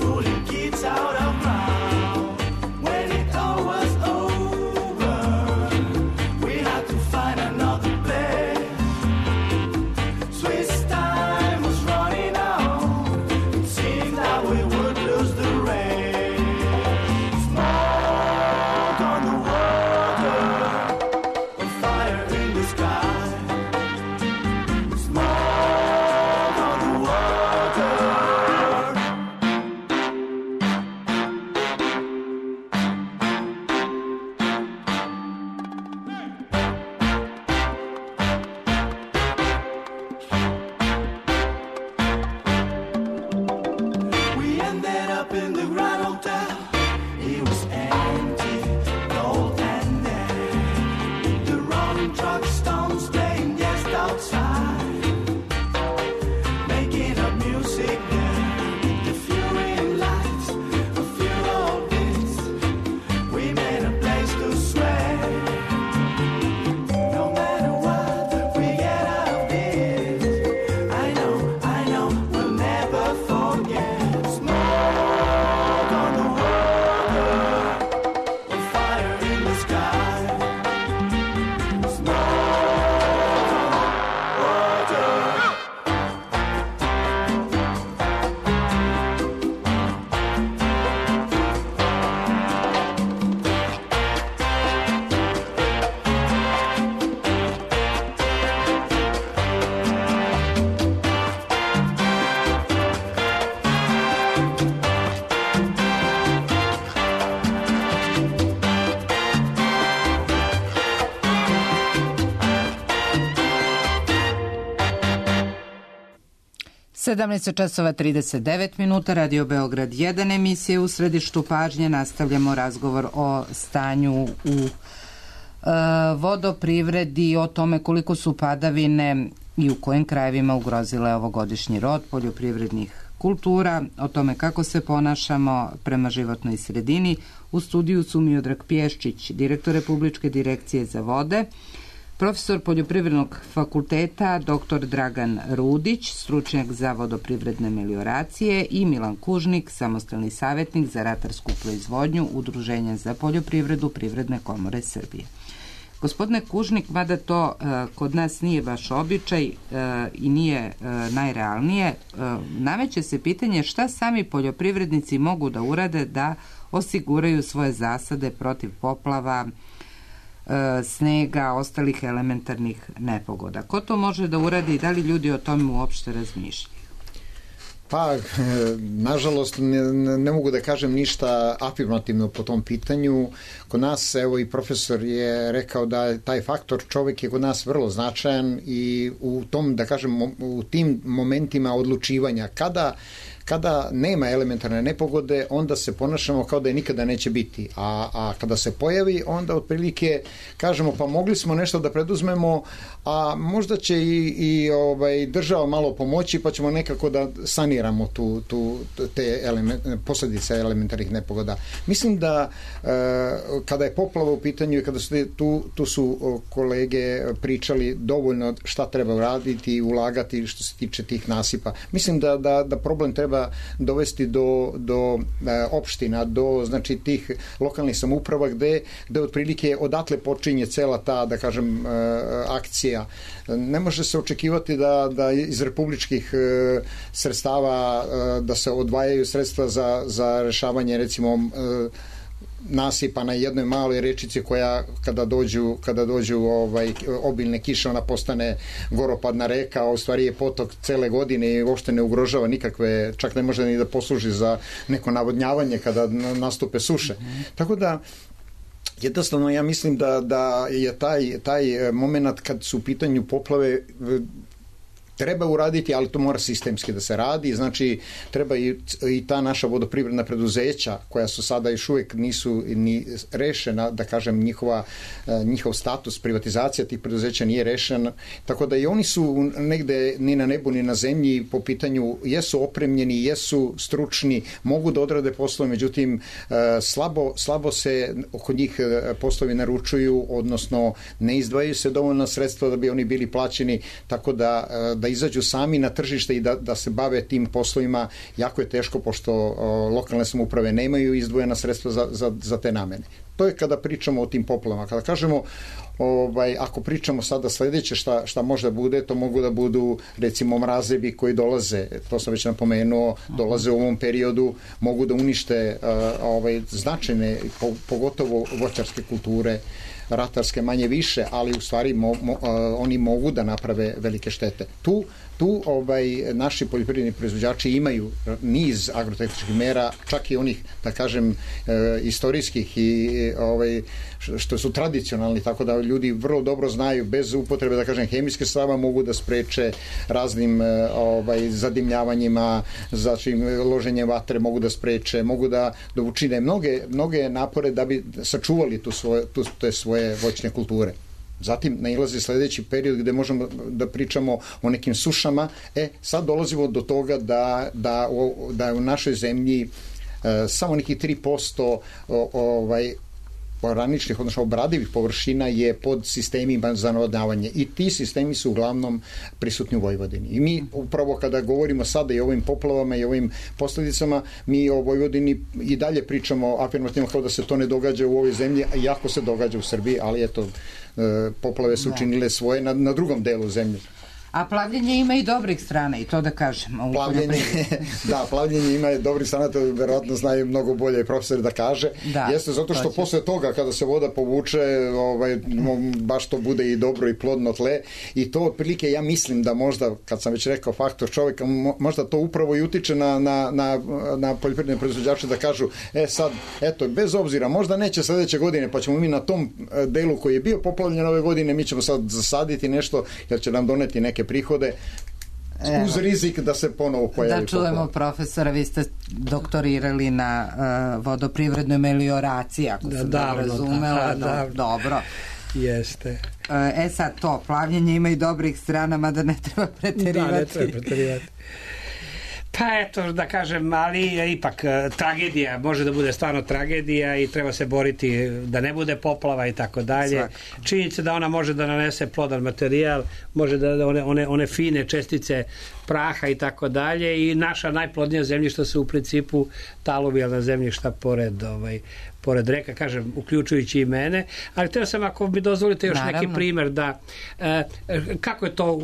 pulling kids out of ground. When it all was over, we had to find another place. Swiss time was running out. It seemed that we would lose the race. Smoke on the water, a fire in the sky. Smoke on the water. We ended up in the Grand Hotel. It was empty, cold and dead. The rolling truck stones playing just outside, making up music there. The fluorescent lights, a few old bits. We made a place to sweat. No matter what we get out of this, I know, I know, we'll never forget. Smoke on the water, a fire in the sky. Smoke on the water. sedamnaest časova trideset devet minuta, Radio Beograd jedan, emisije u središtu pažnje. Nastavljamo razgovor o stanju u e, vodoprivredi, o tome koliko su padavine i u kojim krajevima ugrozile ovogodišnji rod poljoprivrednih kultura, o tome kako se ponašamo prema životnoj sredini. U studiju su Miodrag Pješčić, direktor Republičke direkcije za vode, profesor Poljoprivrednog fakulteta doktor Dragan Rudić, stručnjak za vodoprivredne melioracije, i Milan Kužnik, samostalni savjetnik za ratarsku proizvodnju Udruženja za poljoprivredu Privredne komore Srbije. Gospodine Kužnik, mada to e, kod nas nije baš običaj e, i nije e, najrealnije, e, nameće se pitanje šta sami poljoprivrednici mogu da urade da osiguraju svoje zasade protiv poplava, snega, ostalih elementarnih nepogoda. Ko to može da uradi i da li ljudi o tome uopšte razmišljaju? Pa, nažalost, ne, ne mogu da kažem ništa afirmativno po tom pitanju. Kod nas, evo i profesor je rekao da je taj faktor čovjek je kod nas vrlo značajan i u tom, da kažem, u tim momentima odlučivanja, kada kada nema elementarne nepogode, onda se ponašamo kao da je nikada neće biti. A, a kada se pojavi, onda otprilike kažemo pa mogli smo nešto da preduzmemo, a možda će i, i ovaj, država malo pomoći, pa ćemo nekako da saniramo tu, tu, te element, posljedice elementarnih nepogoda. Mislim da e, kada je poplava u pitanju i kada su tu, tu su kolege pričali dovoljno šta treba raditi i ulagati što se tiče tih nasipa. Mislim da, da, da problem treba dovesti do, do e, opština, do znači tih lokalnih samouprava gde, gde otprilike odatle počinje cela ta, da kažem, e, akcija. Ne može se očekivati da, da iz republičkih e, sredstava e, da se odvajaju sredstva za, za rešavanje recimo e, nasipa na jednoj maloj rečici koja kada dođu, kada dođu ovaj, obilne kiše, ona postane goropadna reka, a u stvari je potok cele godine i uopšte ne ugrožava nikakve, čak ne može ni da posluži za neko navodnjavanje kada nastupe suše. Mm-hmm. Tako da jednostavno ja mislim da, da je taj, taj moment kad su u pitanju poplave treba uraditi, ali to mora sistemski da se radi, znači treba i, i ta naša vodoprivredna preduzeća koja su sada još uvijek nisu ni rešena, da kažem njihova, njihov status privatizacija tih preduzeća nije rešen, tako da i oni su negde ni na nebu ni na zemlji po pitanju, jesu opremljeni, jesu stručni, mogu da odrade poslove, međutim slabo, slabo se oko njih poslovi naručuju, odnosno ne izdvajaju se dovoljna sredstva da bi oni bili plaćeni, tako da, da izađu sami na tržište i da, da se bave tim poslovima jako je teško, pošto o, lokalne samouprave nemaju izdvojena sredstva za, za, za te namene. To je kada pričamo o tim poplavama. Kada kažemo, ovaj, ako pričamo sada sledeće šta, šta može da bude, to mogu da budu recimo mrazevi koji dolaze, to sam već napomenuo, dolaze u ovom periodu, mogu da unište uh, ovaj, značajne, po, pogotovo voćarske kulture, ratarske manje više, ali u stvari mo, mo, uh, oni mogu da naprave velike štete. Tu, tu ovaj, naši poljoprivredni proizvođači imaju niz agrotehničkih mera, čak i onih, da kažem, uh, istorijskih i ovaj, što su tradicionalni, tako da ljudi vrlo dobro znaju, bez upotrebe, da kažem, hemijske sredstva mogu da spreče raznim ovaj, zadimljavanjima, znači loženjem vatre mogu da spreče, mogu da, da učine mnoge, mnoge napore da bi sačuvali tu svoje, tu, te svoje voćne kulture. Zatim nailazi sledeći period gde možemo da pričamo o nekim sušama. E, sad dolazimo do toga da, da, da u našoj zemlji e, samo nekih tri posto o, ovaj, oraničnih, odnosno obradivih površina je pod sistemima za navodnjavanje i ti sistemi su uglavnom prisutni u Vojvodini. I mi upravo kada govorimo sada i o ovim poplavama i ovim posljedicama, mi o Vojvodini i dalje pričamo afirmativno kao da se to ne događa u ovoj zemlji, a jako se događa u Srbiji, ali eto, poplave su učinile svoje na, na drugom delu zemlje. A plavljenje ima i dobrih strana, i to da kažem. Plavljenje, da, plavljenje ima i dobrih strana, to verovatno znaju mnogo bolje i profesori da kaže. Da, jeste zato što posle toga, kada se voda povuče, ovaj, baš to bude i dobro i plodno tle. I to otprilike ja mislim da možda, kad sam već rekao faktor čovjeka, možda to upravo i utiče na, na, na, na poljoprivredne proizvođače da kažu, e sad, eto, bez obzira, možda neće sledeće godine, pa ćemo mi na tom delu koji je bio poplavljen ove godine, mi ćemo sad zasaditi nešto, jer će nam doneti neke prihode, uz rizik da se ponovo pojavi. Da čujemo poplava. Profesora, vi ste doktorirali na uh, vodoprivrednoj melioraciji, ako da, sam da razumela. Da, da, dobro. Jeste. E sad to, plavljenje ima i dobrih strana, mada ne treba preterivati. Da, ne treba preterivati. Pa eto, da kažem, ali ipak tragedija, može da bude stvarno tragedija i treba se boriti da ne bude poplava i tako dalje. Činjenica da ona može da nanese plodan materijal, može da one, one, one fine čestice praha i tako dalje i naša najplodnija zemljišta su u principu taluvijalna zemljišta pored ovaj, pored reka, kažem, uključujući i mene, ali teo sam, ako mi dozvolite još Naravno. neki primer da e, kako je to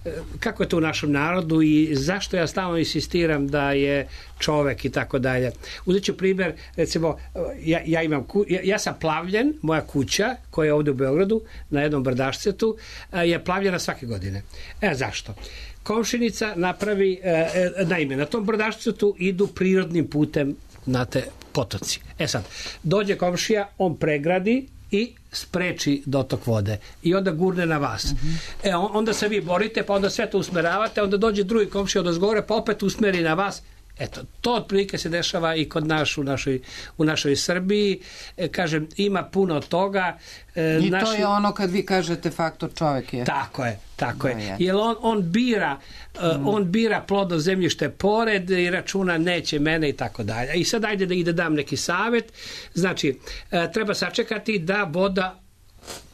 e, kako je to u našem narodu i zašto ja stalno insistiram da je čovek i tako dalje. Uzet ću primer, recimo, ja, ja imam ku, ja, ja sam plavljen, moja kuća koja je ovde u Beogradu na jednom brdašcetu je plavljena svake godine. E, zašto? Komšinica napravi, e, naime, na tom brdašcetu idu prirodnim putem na te potoci. E sad, dođe komšija, on pregradi i spreči dotok vode i onda gurne na vas. Uh-huh. E, onda se vi borite, pa onda sve to usmeravate, onda dođe drugi komšija od ozgore, pa opet usmeri na vas. Eto, to otprilike se dešava i kod naš u našoj, u našoj Srbiji. E, kažem, ima puno toga. E, I naši... to je ono kad vi kažete faktor čovjek je. Tako je, tako no, je. Jer on, on bira mm. uh, on bira plodno zemljište pored i računa neće mene i tako dalje. I sad ajde da i da dam neki savjet. Znači, uh, treba sačekati da voda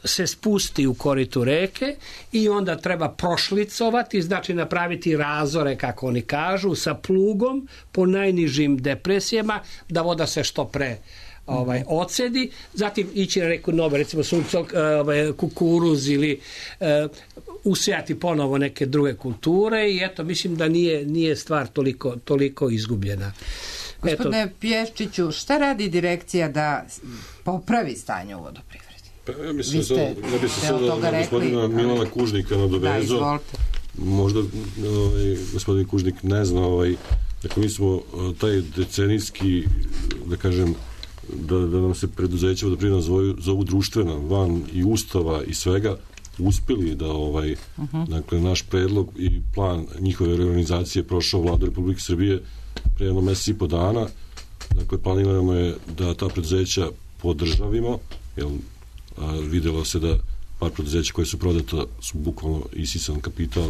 se spusti u koritu reke i onda treba prošlicovati, znači napraviti razore, kako oni kažu, sa plugom po najnižim depresijama, da voda se što pre ovaj, ocedi, zatim ići na neku nove, recimo sunco, ovaj, kukuruz ili uh, usijati ponovo neke druge kulture i eto, mislim da nije, nije stvar toliko, toliko izgubljena. Gospodine Pješčiću, šta radi direkcija da popravi stanje u vodoprivredi? Pa ja mislim Vi ste sad, ja bi se deo sada toga na gospodina rekli, Milana ali- Kužnika Da, nadovezao. izvolite. Možda ovaj, gospodin Kužnik ne zna, ovaj, dakle mi smo eh, taj decenijski, da kažem, da, da nam se preduzeća vodoprivredna zovu, zovu društvena, van i ustava i svega, uspeli da ovaj, Mhm. dakle naš predlog i plan njihove reorganizacije prošao Vladu Republike Srbije pre jedno mesec i po dana. Dakle, planirano je da ta preduzeća podržavimo, jer a, videlo se da par preduzeća koje su prodata su bukvalno isisan kapital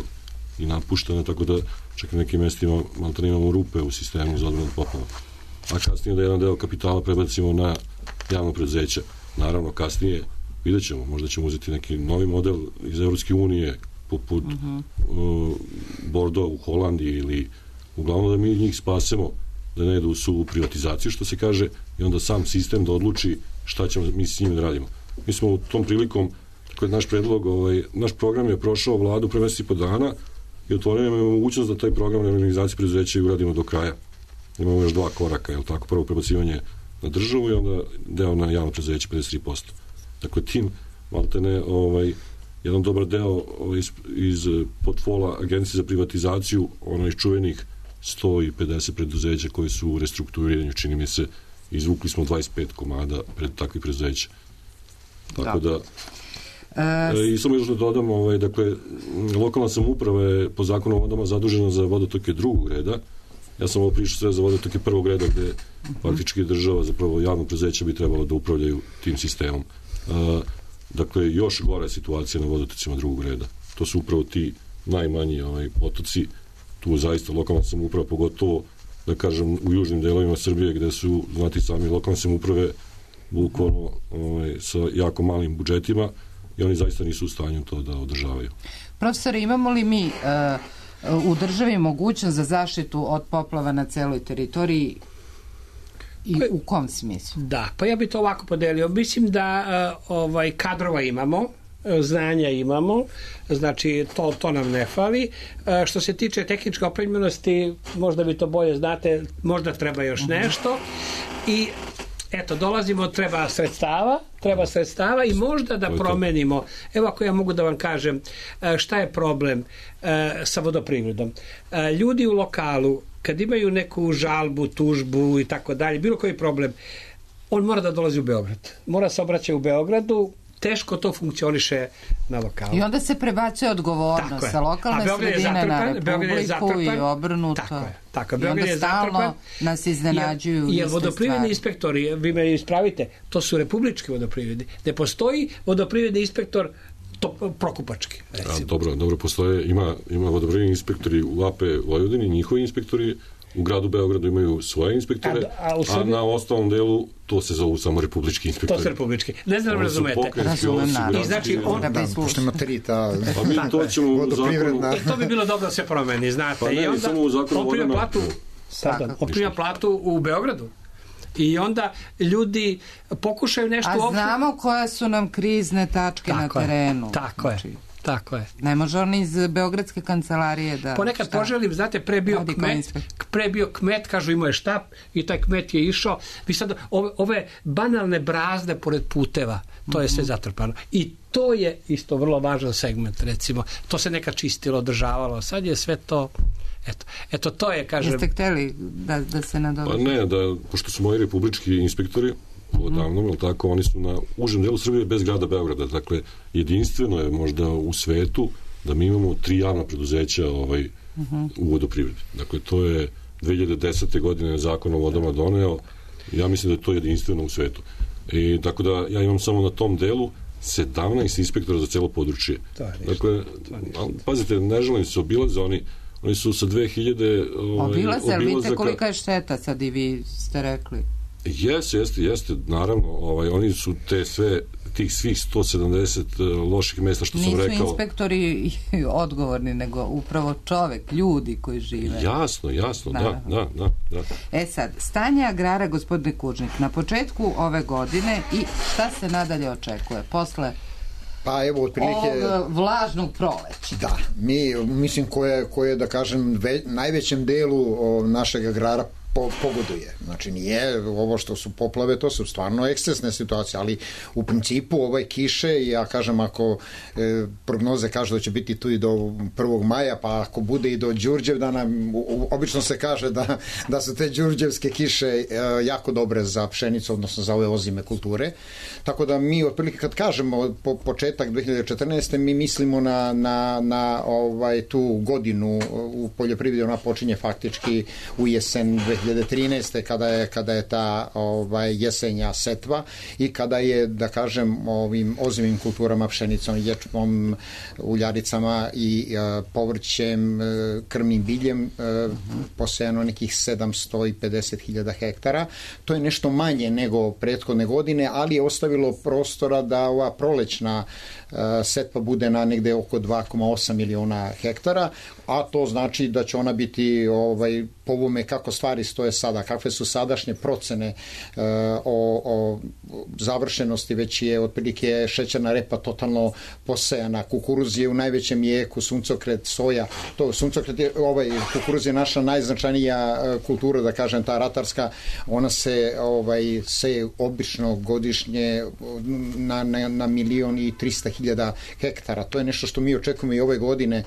i napuštene, tako da čak na nekim mestima maltene imamo rupe u sistemu za odbranu od poplava. A kasnije da jedan deo kapitala prebacimo na javno preduzeće. Naravno, kasnije vidjet ćemo, možda ćemo uzeti neki novi model iz Evropske unije, poput Mhm. uh, Bordeaux u Holandiji, ili uglavnom da mi njih spasemo, da ne idu u suvu privatizaciju, što se kaže, i onda sam sistem da odluči šta ćemo mi s njim da radimo. Mi smo u tom prilikom, tako je naš predlog, ovaj, naš program je prošao vladu pre mesec i po dana i otvorio nam je mogućnost da taj program reorganizacije preduzeća i uradimo do kraja. Imamo još dva koraka, je li tako? Prvo prebacivanje na državu i onda deo na javno preduzeće pedeset tri posto. Dakle, tim maltene ovaj, jedan dobar deo ovaj, iz, iz portfola Agencije za privatizaciju, ono iz čuvenih sto pedeset preduzeća koji su u restrukturiranju, čini mi se, izvukli smo dvadeset pet komada pred takvih preduzeća. Tako da, e, i samo još da dodam, ovaj, dakle, lokalna samouprava je po zakonu o vodama zadužena za vodotoke drugog reda. Ja sam ovo pričao sve za vodotoke prvog reda, gde faktički država, zapravo javno preduzeće bi trebalo da upravljaju tim sistemom. E, dakle, još gora je situacija na vodotocima drugog reda. To su upravo ti najmanji ovaj, potoci. Tu zaista lokalna samouprava, pogotovo, da kažem, u južnim delovima Srbije, gde su, znati sami, lokalne samouprave bukvalno ovaj, sa jako malim budžetima i oni zaista nisu u stanju to da održavaju. Profesore, imamo li mi uh, u državi mogućnost za zaštitu od poplava na celoj teritoriji i u kom smislu? Da, pa ja bih to ovako podelio. Mislim da uh, ovaj kadrova imamo, znanja imamo, znači to, to nam ne fali. E, što se tiče tehničke opremljenosti, možda vi to bolje znate, možda treba još nešto i eto, dolazimo, treba sredstava, treba sredstava i možda da promenimo. Evo ako ja mogu da vam kažem šta je problem e, sa vodoprivredom. E, ljudi u lokalu, kad imaju neku žalbu, tužbu i tako dalje, bilo koji problem, on mora da dolazi u Beograd. Mora se obraćati u Beogradu, teško to funkcioniše na lokalu. I onda se prebacuje odgovornost sa lokalne sredine na Republiku i obrnuto. Tako je. Tako, I onda stalno nas iznenađuju jer iste vodoprivredni stvari. inspektori, vi me ispravite, to su republički vodoprivredni. Ne postoji vodoprivredni inspektor to prokupački, recimo. A, dobro, dobro, postoje, ima, ima vodoprivredni inspektori u A P Vojvodini, njihovi inspektori u gradu Beogradu imaju svoje inspektore, a, a, a na ostalom delu to se zovu samo republički inspektori. To su republički. Ne znam da razumete. Razumem, naravno. I znači on... Da, pošto ima tri ta... Pa mi to ćemo u zakonu... E, to bi bilo dobro da se promeni, znate. Pa ne, I onda samo u zakonu on prima vodama... platu, pardon, on prima platu u Beogradu. I onda ljudi pokušaju nešto... A znamo koje su nam krizne tačke na terenu. Tako je. Tako je. Ne može on iz Beogradske kancelarije da... Ponekad poželim, znate, pre bio kmet, pre bio kmet, kažu imao je štap i taj kmet je išao. Vi sad, ove, ove banalne brazde pored puteva, to je sve zatrpano. I to je isto vrlo važan segment, recimo. To se nekad čistilo, održavalo. Sad je sve to... Eto, eto to je, kažem... Jeste hteli da, da se nadoveže? Pa ne, da, pošto su moji republički inspektori, odavno, mm. tako, oni su na užem delu Srbije bez grada Beograda. Dakle, jedinstveno je možda u svetu da mi imamo tri javna preduzeća ovaj, mm -hmm. u vodoprivredi. Dakle, to je dve hiljade desete. godine zakon o vodama doneo. Ja mislim da je to jedinstveno u svetu. I tako da ja imam samo na tom delu sedamnaest inspektora za celo područje. Dakle, pazite, ne želim se obilaze, oni oni su sa dve hiljade ovaj, obilaze, ali vidite kolika je šteta sad i vi ste rekli. Jeste, jeste, jeste, naravno, ovaj, oni su te sve, tih svih sto sedamdeset loših mesta što Nisu sam rekao. Nisu inspektori odgovorni, nego upravo čovek, ljudi koji žive. Jasno, jasno, da, da, da, da. E sad, stanje agrara, gospodine Kužnik, na početku ove godine i šta se nadalje očekuje? Posle pa evo otprilike ovog vlažnog proleća. Da, mi mislim koje koje da kažem ve, najvećem delu o, našeg agrara po, pogoduje. Znači nije ovo što su poplave, to su stvarno ekscesne situacije, ali u principu ove kiše, ja kažem ako e, prognoze kažu da će biti tu i do prvog maja, pa ako bude i do Đurđevdana, obično se kaže da, da su te đurđevske kiše e, jako dobre za pšenicu, odnosno za ove ozime kulture. Tako da mi otprilike kad kažemo po, početak dve hiljade četrnaeste. mi mislimo na, na, na ovaj, tu godinu u poljoprivredi, ona počinje faktički u jesen dve hiljade trinaeste. kada je, kada je ta ovaj, jesenja setva i kada je, da kažem, ovim ozimim kulturama, pšenicom, ječmom, uljaricama i uh, povrćem, uh, krmnim biljem uh, posejano nekih sedamsto pedeset hiljada hektara. To je nešto manje nego prethodne godine, ali je ostavilo prostora da ova prolećna uh, setva bude na negde oko dva zarez osam miliona hektara, a to znači da će ona biti ovaj, po ovome kako stvari stoje sada, kakve su sadašnje procene uh, o, o završenosti, već je otprilike šećerna repa totalno posejana, kukuruz je u najvećem jeku, suncokret, soja, to suncokret je, ovaj, kukuruz je naša najznačajnija kultura, da kažem, ta ratarska, ona se ovaj, seje obično godišnje na, na, na milion i trista hiljada hektara. To je nešto što mi očekujemo i ove godine.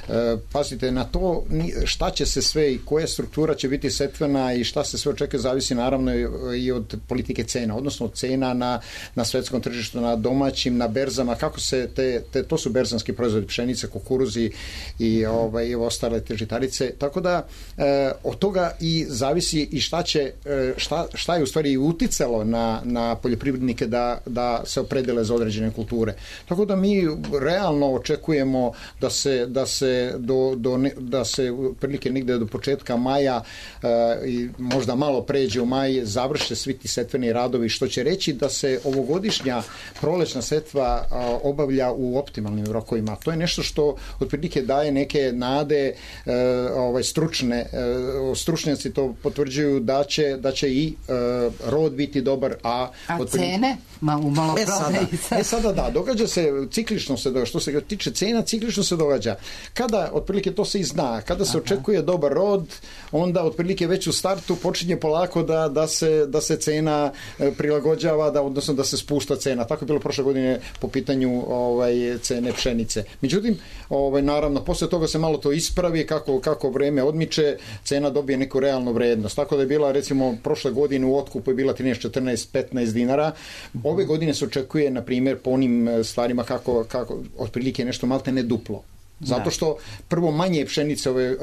E, pazite, na to šta će se sve i koja struktura će biti setvena i šta se sve očekuje zavisi naravno i od politike cena, odnosno od cena na, na svetskom tržištu, na domaćim, na berzama, kako se te, te to su berzanski proizvodi, pšenice, kukuruzi i ovaj, ostale te žitarice, tako da e, od toga i zavisi i šta će, šta, šta je u stvari uticalo na, na poljoprivrednike da, da se opredele za određene kulture. Tako da mi realno očekujemo da se, da se do, do ne, da se prilike negde do početka maja e, i možda malo pređe u maj, završe svi ti setveni radovi, što će reći da se ovogodišnja prolećna setva a, obavlja u optimalnim rokovima. To je nešto što otprilike daje neke nade, e, ovaj stručne e, stručnjaci to potvrđuju da će da će i e, rod biti dobar, a a otprilike... cene ma u malo e, sada, e sada da, događa se ciklično se događa, što se tiče cena ciklično se događa. Kada otprilike to se i zna, kada se Aha. očekuje dobar rod, onda otprilike već u startu počinje polako da, da, se, da se cena prilagođava, da, odnosno da se spušta cena. Tako je bilo prošle godine po pitanju ovaj, cene pšenice. Međutim, ovaj, naravno, posle toga se malo to ispravi, kako, kako vreme odmiče, cena dobije neku realnu vrednost. Tako da je bila, recimo, prošle godine u otkupu je bila trinaest, četrnaest, petnaest dinara. Ove godine se očekuje, na primjer, po onim stvarima kako, kako otprilike nešto malte ne duplo. Zato što prvo manje pšenice ove uh,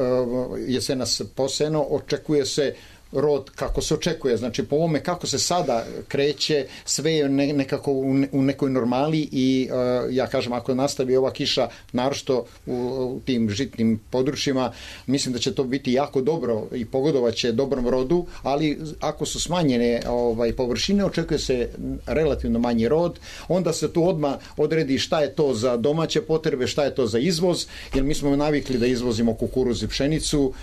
jesenas posejano, očekuje se rod kako se očekuje, znači po ovome kako se sada kreće, sve je ne, nekako u, ne, u nekoj normali i uh, ja kažem, ako nastavi ova kiša naročito u, u tim žitnim područjima, mislim da će to biti jako dobro i pogodovaće dobrom rodu, ali ako su smanjene ovaj, površine, očekuje se relativno manji rod, onda se tu odmah odredi šta je to za domaće potrebe, šta je to za izvoz, jer mi smo navikli da izvozimo kukuruz i pšenicu.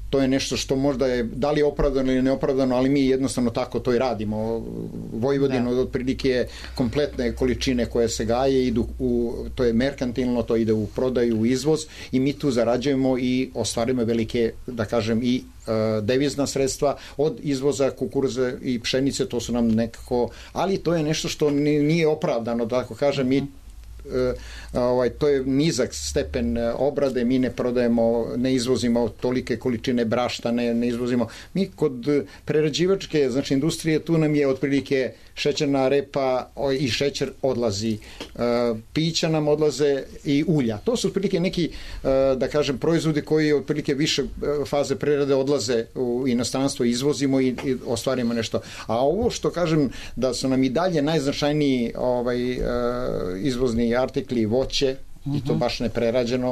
To je nešto što možda je, da li je opravdano ili neopravdano, ali mi jednostavno tako to i radimo. Vojvodina od otprilike kompletne količine koje se gaje idu u, to je merkantilno, to ide u prodaju, u izvoz i mi tu zarađujemo i ostvarujemo velike, da kažem, i uh, devizna sredstva od izvoza kukuruza i pšenice, to su nam nekako, ali to je nešto što nije opravdano, da tako kažem, mi Uh, ovaj, to je nizak stepen obrade, mi ne prodajemo, ne izvozimo tolike količine brašta, ne, ne izvozimo. Mi kod prerađivačke, znači industrije, tu nam je otprilike šećerna repa i šećer odlazi. Uh, pića nam odlaze i ulja. To su otprilike neki, uh, da kažem, proizvodi koji otprilike više faze prerade odlaze u inostranstvo, izvozimo i, i ostvarimo nešto. A ovo što kažem da su nam i dalje najznačajniji ovaj, uh, izvozni artikli, voće, uh-huh. i to baš neprerađeno,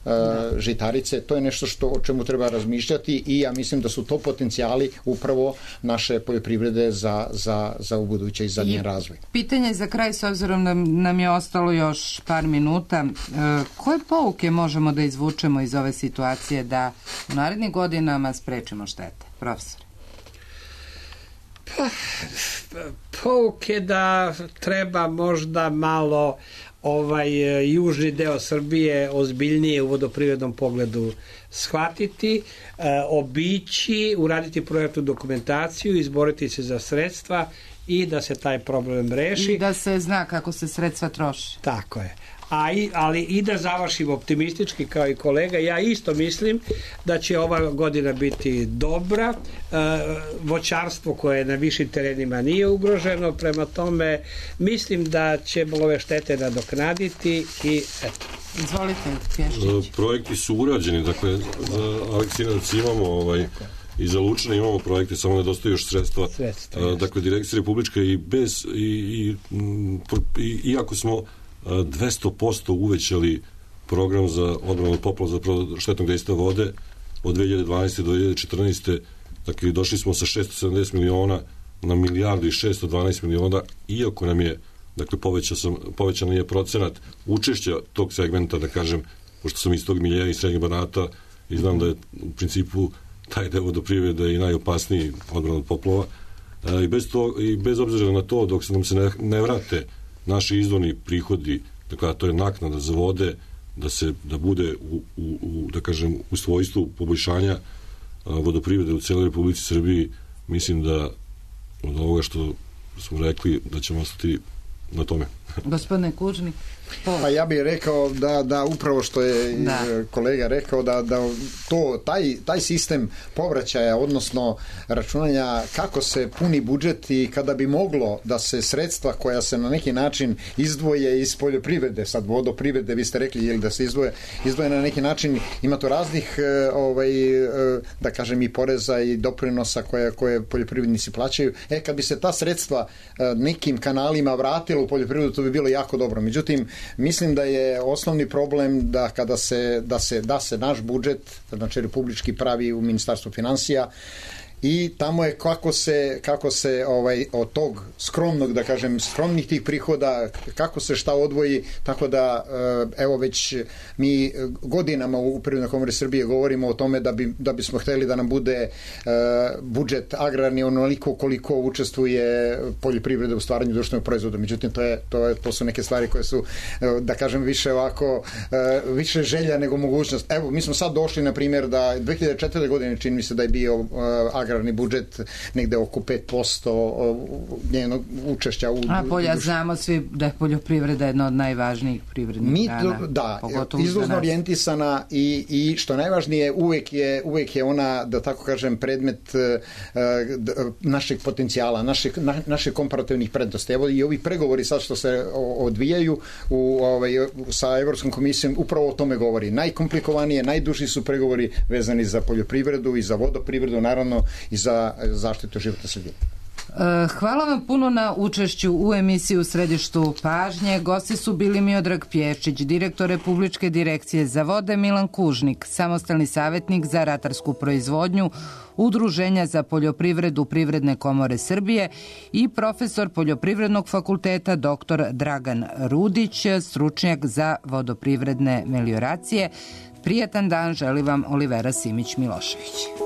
uh, žitarice, to je nešto što, o čemu treba razmišljati i ja mislim da su to potencijali upravo naše poljoprivrede za, za, za ubuduće i za njen razvoj. Pitanje za kraj, s obzirom da nam je ostalo još par minuta, uh, koje pouke možemo da izvučemo iz ove situacije da u narednim godinama sprečimo štete? Profesor. Pa, pouke da treba možda malo ovaj e, južni deo Srbije ozbiljnije u vodoprivrednom pogledu shvatiti, e, obići, uraditi projektnu dokumentaciju, izboriti se za sredstva i da se taj problem reši. I da se zna kako se sredstva troši. Tako je. A i, ali i da završim optimistički kao i kolega, ja isto mislim da će ova godina biti dobra, e, voćarstvo koje na višim terenima nije ugroženo, prema tome mislim da će ove štete nadoknaditi i eto. Izvolite, Pješčić. Projekti su urađeni, dakle za Aleksinac imamo ovaj, i za Lučane imamo projekte, samo nedostaju još sredstva. Sredstva, dakle, Direkcija Republička i bez i, i, i iako smo dvesta posto uvećali program za odbranu od poplava za štetnog dejstva vode od dve hiljade dvanaeste do dve hiljade četrnaeste. Dakle, došli smo sa šesto sedamdeset miliona na milijardu i šesto dvanaest miliona, iako nam je, dakle, povećan, sam, povećan je procenat učešća tog segmenta, da kažem, pošto sam iz tog miljeja i srednjeg Banata i znam da je u principu taj deo vodoprivrede i najopasniji odbrana od poplava. E, i, bez to, i bez obzira na to, dok se nam se ne, ne vrate naši izvorni prihodi, dakle, to je naknada za vode, da se da bude u, u, u da kažem u svojstvu poboljšanja a, vodoprivrede u celoj Republici Srbiji, mislim da od ovoga što smo rekli da ćemo ostati na tome. Gospodine Kužnik. Pa ja bih rekao da, da upravo što je da. kolega rekao da, da to, taj, taj sistem povraćaja, odnosno računanja kako se puni budžet i kada bi moglo da se sredstva koja se na neki način izdvoje iz poljoprivrede, sad vodoprivrede vi ste rekli, ili da se izdvoje, izdvoje na neki način, ima to raznih ovaj, da kažem i poreza i doprinosa koje, koje poljoprivrednici plaćaju. E, kad bi se ta sredstva nekim kanalima vratila u poljoprivredu, to bi bilo jako dobro. Međutim, mislim da je osnovni problem da kada se da se da se naš budžet, znači republički, pravi u Ministarstvu finansija i tamo je kako se kako se ovaj od tog skromnog, da kažem, skromnih tih prihoda kako se šta odvoji, tako da evo već mi godinama u Privrednoj komori Srbije govorimo o tome da bi da bismo hteli da nam bude budžet agrarni onoliko koliko učestvuje poljoprivreda u stvaranju društvenog proizvoda. Međutim, to je to je to su neke stvari koje su, da kažem, više ovako više želja nego mogućnost. Evo, mi smo sad došli na primjer da dve hiljade četvrte. godine čini mi se da je bio agrarni budžet negde oko pet posto njenog učešća u... A polja znamo svi da je poljoprivreda jedna od najvažnijih privrednih Mi grana. To, da, izvozno orijentisana i, i što najvažnije uvek je, uvek je ona, da tako kažem, predmet uh, našeg potencijala, našeg, na, naših komparativnih prednosti. Evo i ovi pregovori sad što se odvijaju u, ovaj, sa Evropskom komisijom upravo o tome govori. Najkomplikovanije, najduži su pregovori vezani za poljoprivredu i za vodoprivredu, naravno i za zaštitu životne sredine. Hvala vam puno na učešću u emisiji U središtu pažnje. Gosti su bili Miodrag Pješčić, direktor Republičke direkcije za vode, Milan Kužnik, samostalni savjetnik za ratarsku proizvodnju Udruženja za poljoprivredu Privredne komore Srbije i profesor Poljoprivrednog fakulteta doktor Dragan Rudić, stručnjak za vodoprivredne melioracije. Prijatan dan želi vam Olivera Simić Milošević.